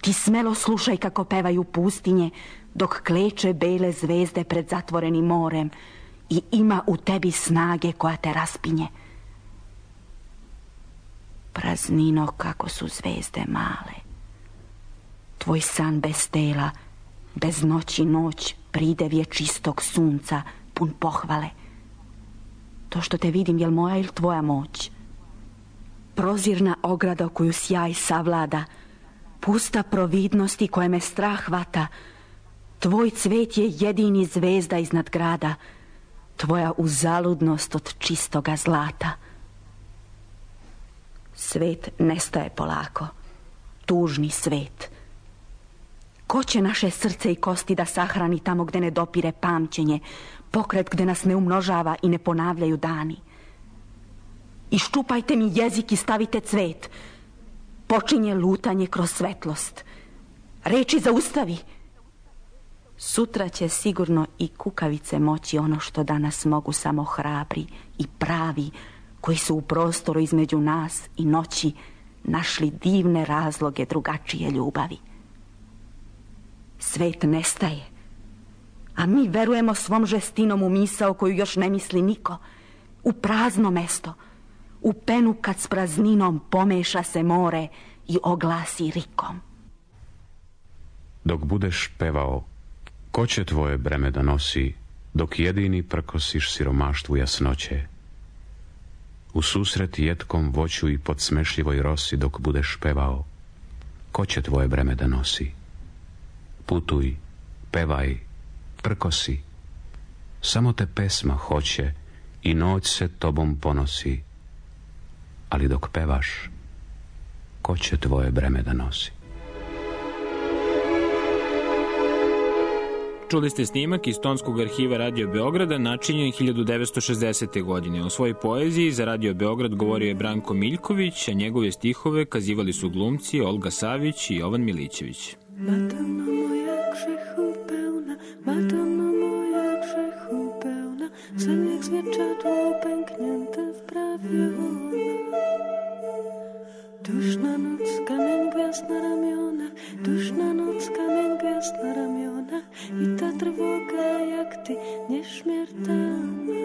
Ti smelo slušaj kako pevaju pustinje, dok kleče bele zvezde pred zatvorenim morem i ima u tebi snage koja te raspinje. Praznino kako su zvezde male. Tvoj san bez tela, bez noći noć, pridevje čistog sunca, pun pohvale. To što te vidim, jel moja ili tvoja moć? Prozirna ograda koju sjaj savlada, pusta providnosti koje me strah hvata. Tvoj cvet je jedini zvezda iznad grada, tvoja uzaludnost od čistoga zlata. Svet nestaje polako, tužni svet. Ko će naše srce i kosti da sahrani tamo gde ne dopire pamćenje, pokret gde nas ne umnožava i ne ponavljaju dani? Iščupajte mi jezik i stavite cvet. Počinje lutanje kroz svetlost. Reči zaustavi. Sutra će sigurno i kukavice moći ono što danas mogu samo hrabri i pravi, koji su u prostoru između nas i noći našli divne razloge drugačije ljubavi. Svet nestaje, a mi verujemo svom žestinom u misao koju još ne misli niko, u prazno mesto, u penu kad s prazninom pomeša se more i oglasi rikom. Dok budeš pevao, ko će tvoje breme da nosi, dok jedini prkosiš siromaštvu jasnoće? U susret jetkom voću i pod smešljivoj rosi dok budeš pevao, ko će tvoje breme da nosi? Putuj, pevaj, prkosi, samo te pesma hoće i noć se tobom ponosi, ali dok pevaš, ko će tvoje breme da nosi? Čuli ste snimak iz tonskog arhiva Radio Beograda načinjen hiljadu devetsto šezdesete. godine. O svojoj poeziji za Radio Beograd govorio je Branko Miljković, a njegove stihove kazivali su glumci Olga Savić i Jovan Milićević. Madonna moja grzechu pełna, Madonna moja grzechu pełna, sen jak zwierciadło pęknięte w prawie ona. Duszna noc, kamień gwiazd na ramionach, duszna noc, kamień gwiazd na ramionach i ta trwoga jak ty nieśmiertelna.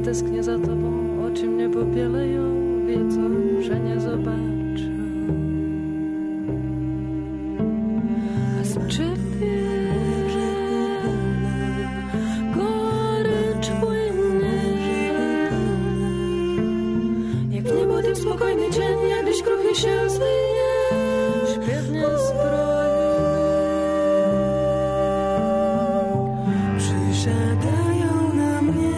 Tęsknię za tobą, oczy mnie popieleją, wiedzą, że nie zobaczą. A z ciebie gorycz płynie, jak w niebo tym spokojny dzień, jak gdzieś kruchy się zmienia, śpiewnie zbrojny. Przysiadają na mnie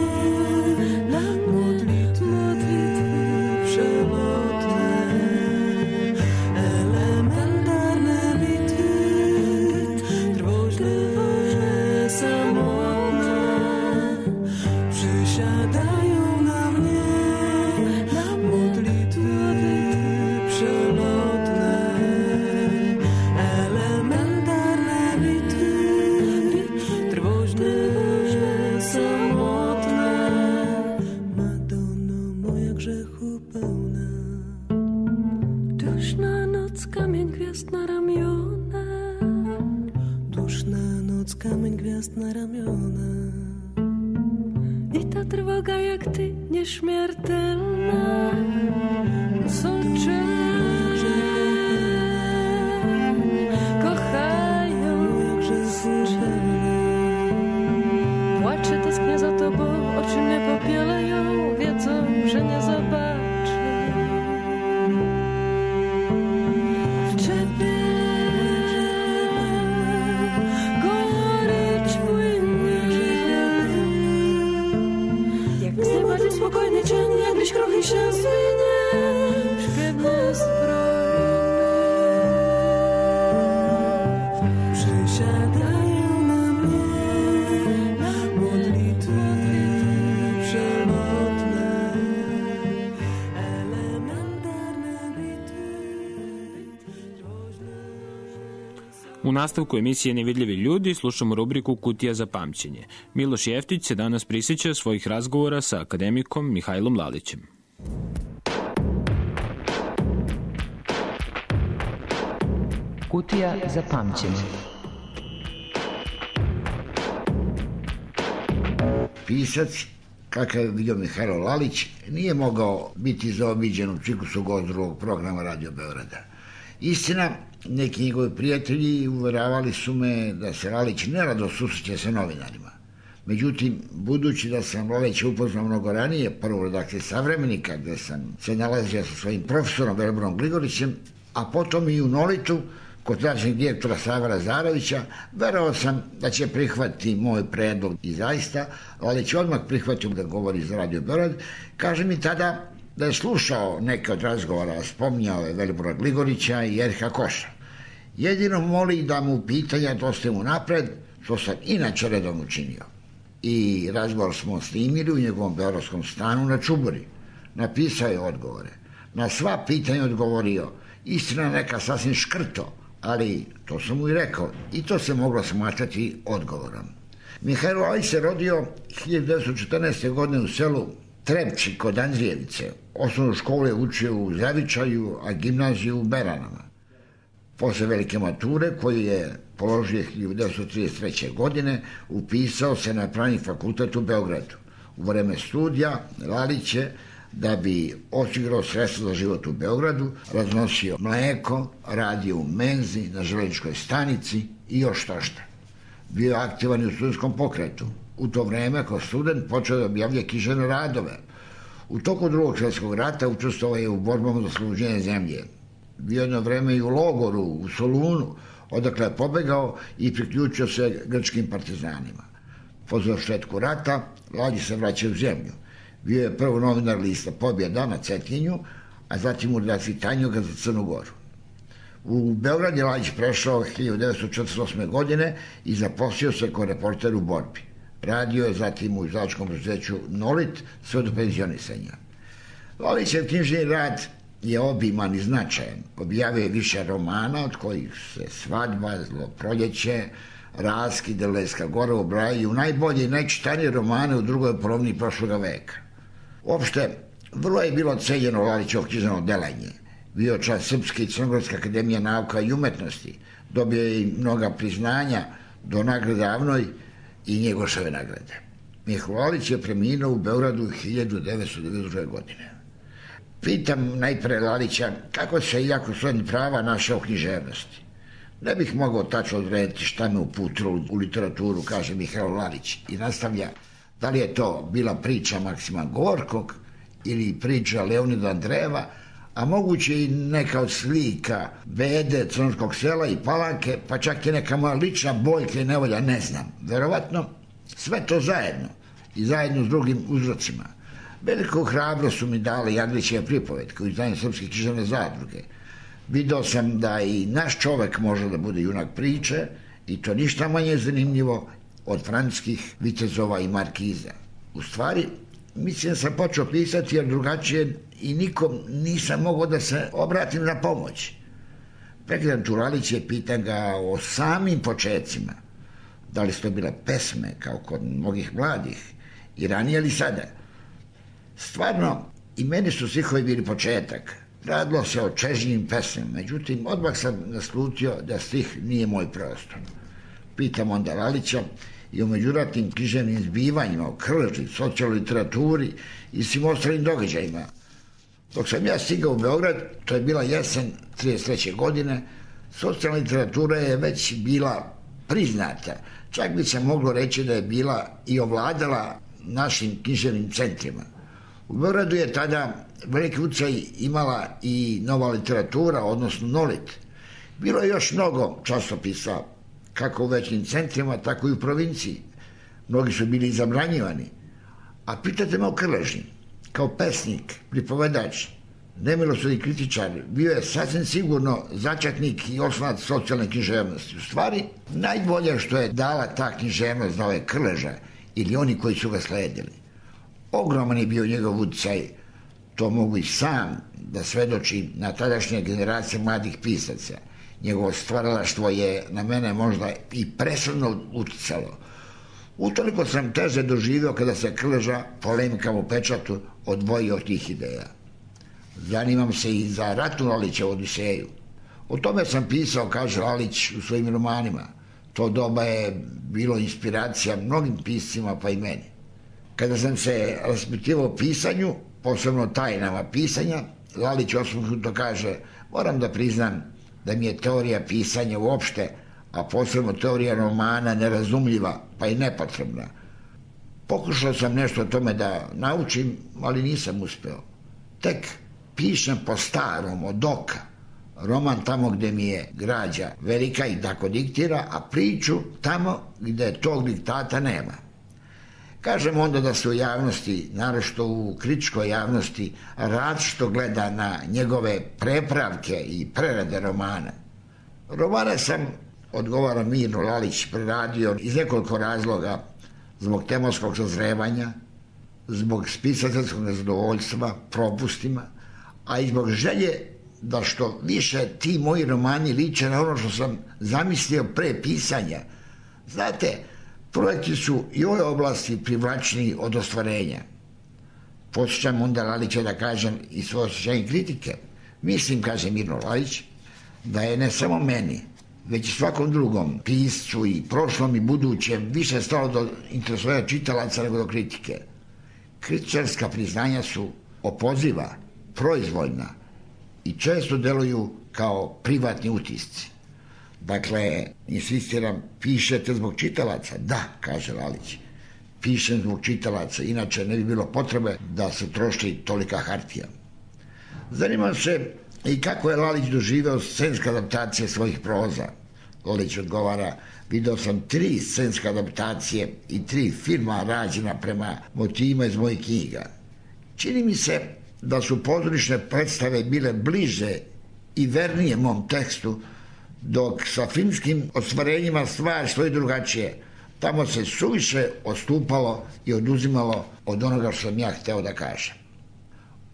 na ramiona i ta trwoga jak ty nieśmiertelna. Socze kochają płacze, tęsknię za tobą, oczy mnie popieleją, wiedzą, że nie zobaczę. W ciebie spokojny dzień, jak gdzieś kruchy się zmienia, śpiewny zbrojny. Przysiadają na mnie modlitwy przelotne, elementarne bitwy. U nastavku emisije Nevidljivi ljudi slušamo rubriku Kutija za pamćenje. Miloš Jeftić se danas prisjeća svojih razgovora sa akademikom Mihajlom Lalićem. Kutija za pamćenje. Pisac, kakav je vidio Mihajlo Lalić, nije mogao biti zaobiđen u ciklusu gost drugog programa Radio Beograda. Istina, neki njegovi prijatelji uveravali su me da se Lalić nerado susreće sa novinarima. Međutim, budući da sam Lalića upoznao mnogo ranije, prvo u redakciji Savremenika, gde sam se nalazio sa svojim profesorom Veliborom Gligorićem, a potom i u Nolitu, kod tadašnjeg direktora Sava Lazarevića, verovao sam da će prihvatiti moj predlog i zaista Lalić odmah prihvatio da govori za Radio Beograd. Kaže mi tada da je slušao neke od razgovora, spominjao je Velibora Gligorića i Erika Koša. Jedino moli da mu pitanja dostavimo napred, što sam inače redovno učinio. I razgovor smo snimili u njegovom beogradskom stanu na Čuburi. Napisao je odgovore. Na sva pitanja odgovorio, istina neka sasvim škrto, ali to sam mu i rekao i to se moglo smatrati odgovorom. Mihajlo Lalić se rodio hiljadu devetsto četrnaeste. godine u selu Trepči kod Andrijevice. Osnovnu školu je učio u Zavičaju, a gimnaziju u Beranama. Posle velike mature, koju je položio hiljadu devetsto trideset treće. godine, upisao se na Pravni fakultet u Beogradu. U vreme studija Lalić je, da bi osigurao sredstva za život u Beogradu, raznosio mleko, radio u menzi, na železničkoj stanici i još što šta. Bio je aktivan i u studentskom pokretu. U to vreme, kao student, počeo da objavlja književne radove. U toku drugog svjetskog rata učestvovao je u borbama za oslobođenje zemlje. Bio jedno vreme i u logoru, u Solunu, odakle je pobegao i priključio se grčkim partizanima. Po završetku rata, Lalić se vraća u zemlju. Bio je prvo novinar lista Pobjeda na Cetinju, a zatim u redakciji Tanjuga za Crnu Goru. U Beograd je Lalić prešao hiljadu devetsto četrdeset osme. godine i zaposlio se kao reporter u borbi. Radio je zatim u izdavačkom preduzeću Nolit sve do penzionisanja. Lalićev knjižni rad je obiman i značajan. Objavio je više romana, od kojih se Svadba, Zlo proljeće, Raskid, Delejska gora ubrajaju najbolje i najčitanije romane u drugoj polovini prošloga veka. Uopšte, vrlo je bilo cenjeno Lalićevo književno delanje. Bio član Srpske i Crnogorske akademije nauka i umetnosti. Dobio je i mnoga priznanja do nagrade Avnoj i Njegoševe nagrade. Mihajlo Lalić je preminuo u Beogradu hiljadu devetsto devedeset druge. godine. Pitam najpre Lalića kako se, iako srodnih prava, našao u književnosti. Ne bih mogao tačno odrediti šta me uputilo u literaturu, kaže Mihajlo Lalić, i nastavlja da li je to bila priča Maksima Gorkog ili priča Leonida Andrejeva, a moguće i neka od slika Bede, Crnogorskog sela i Palanke, pa čak i neka moja lična boljka i nevolja, ne znam. Verovatno sve to zajedno i zajedno s drugim uzrocima. Veliku hrabrost su mi dali Jaglićeve pripovetke u izdanju Srpske književne zadruge. Video sam da i naš čovek može da bude junak priče i to ništa manje zanimljivo od francuskih vitezova i markiza. U stvari, mislim da sam počeo pisati jer drugačije i nikom nisam mogao da se obratim na pomoć. Pregledam tu Lalića i pitam ga o samim početcima. Da li su to bile pesme, kao kod mnogih mladih, i ranije ili sada? Stvarno, i meni su stihovi bili početak. Radilo se o čežnjim pesmama, međutim, odmah sam naslutio da stih nije moj prostor. Pitam onda Lalića i o međuratnim književnim zbivanjima, o Krleži, socijalnoj literaturi i svim ostalim događajima. Dok sam ja stigao u Beograd, to je bila jesen trideset treće. godine, socijalna literatura je već bila priznata. Čak bi se moglo reći da je bila i ovladala našim književnim centrima. U Beogradu je tada veliki utjecaj imala i nova literatura, odnosno Nolit. Bilo je još mnogo časopisa, kako u većim centrima, tako i u provinciji. Mnogi su bili zabranjivani. A pitate me o Krleži. Kao pesnik, pripovedač, nemilosrdni kritičar, bio je sasvim sigurno začetnik i oslonac socijalne književnosti. U stvari, najbolje što je dala ta književnost znao je Krleža ili oni koji su ga sledili. Ogroman je bio njegov utjecaj, to mogu i sam da svedoči na tadašnje generacije mladih pisaca. Njegovo stvaralaštvo je na mene možda i presudno utjecalo. Utoliko sam teže doživio kada se Krleža polemikama u pečatu odvojio od tih ideja. Zanimam se i za Ratu Lalićevu Odiseju. O tome sam pisao, kaže Lalić, u svojim romanima. To doba je bilo inspiracija mnogim piscima, pa i meni. Kada sam se raspitivao o pisanju, posebno tajnama pisanja, Lalić osmehnuto kaže: moram da priznam da mi je teorija pisanja uopšte, a posebno teorija romana, nerazumljiva, pa i nepotrebna. Pokušao sam nešto o tome da naučim, ali nisam uspeo. Tek pišem po starom, od oka. Roman tamo gde mi je građa velika i tako diktira, a priču tamo gde tog diktata nema. Kažem onda da se u javnosti, naročito u kritičkoj javnosti, različito gleda na njegove prepravke i prerade romana. Romane sam, odgovara Mirno Lalić, preradio iz nekoliko razloga: zbog tematskog sazrevanja, zbog spisateljskog nezadovoljstva, propustima, a i zbog želje da što više ti moji romani liče na ono što sam zamislio pre pisanja. Znate, projekti su i u ovoj oblasti privlačniji od ostvarenja. Posjećam onda Lalića da kažem i svoje osjećanje kritike. Mislim, kaže Mirno Lalić, da je ne samo meni, već i svakom drugom piscu i prošlom i budućem više stalo do interesovanja čitalaca nego do kritike. Kritičarska priznanja su opoziva, proizvoljna i često deluju kao privatni utisci. Dakle, insistiram, pišete zbog čitalaca? Da, kaže Lalić, pišem zbog čitalaca, inače ne bi bilo potrebe da se troši tolika hartija. Zanimam se i kako je Lalić doživeo scenske adaptacije svojih proza. Lalić odgovara: video sam tri scenske adaptacije i tri filma rađena prema motivima iz mojih knjiga. Čini mi se da su pozorišne predstave bile bliže i vernije mom tekstu, dok sa filmskim ostvarenjima stvari stoji drugačije. Tamo se suviše odstupalo i oduzimalo od onoga što sam ja hteo da kažem.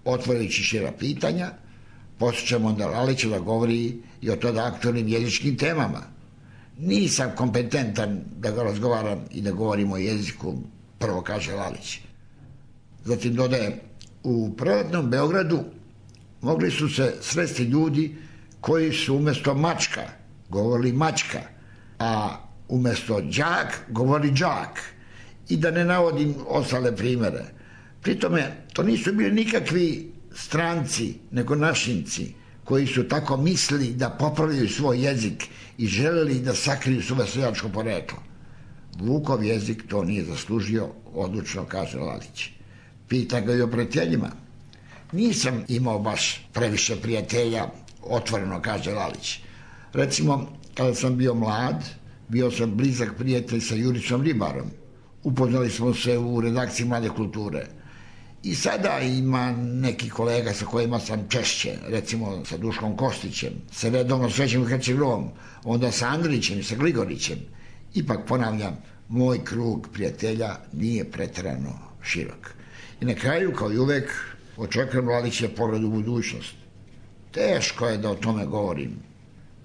Otvarajući šira pitanja, posjećam onda Lalića da govori i o tada aktualnim jezičkim temama. Nisam kompetentan da ga razgovaram i da govorim o jeziku, prvo kaže Lalić. Zatim dodaje: u proletnom Beogradu mogli su se sresti ljudi koji su umesto mačka govorili mačka, a umesto đak govorili đak, i da ne navodim ostale primere. Pritome, to nisu bili nikakvi stranci, nego našinci, koji su tako mislili da popravljaju svoj jezik i želeli da sakriju svoje seljačko poreklo. Vukov jezik to nije zaslužio, odlučno kaže Lalić. Pita ga i o prijateljima. Nisam imao baš previše prijatelja, otvoreno kaže Lalić. Recimo, kada sam bio mlad, bio sam blizak prijatelj sa Juricom Ribarom. Upoznali smo se u redakciji Mlade kulture. I sada ima neki kolega sa kojima sam češće, recimo sa Duškom Kostićem, sa redovno Srećem Hercegom, onda sa Andrićem i sa Gligorićem. Ipak, ponavljam, moj krug prijatelja nije preterano širok. I na kraju, kao i uvek, očekujem Lalićev pogled u budućnost. Teško je da o tome govorim.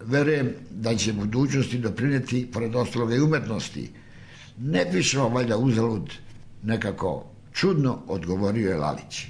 Verujem da će budućnosti doprineti, pored ostaloga i umetnosti. Ne pišemo valjda uzalud, nekako čudno odgovorio je Lalić.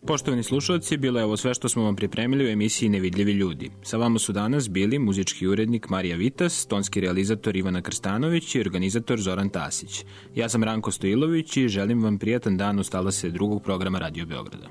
Poštovani slušalci, bilo je ovo sve što smo vam pripremili u emisiji Nevidljivi ljudi. Sa vama su danas bili muzički urednik Marija Vitas, tonski realizator Ivana Krstanović i organizator Zoran Tasić. Ja sam Ranko Stojilović i želim vam prijatan dan uz talase drugog programa Radio Beograda.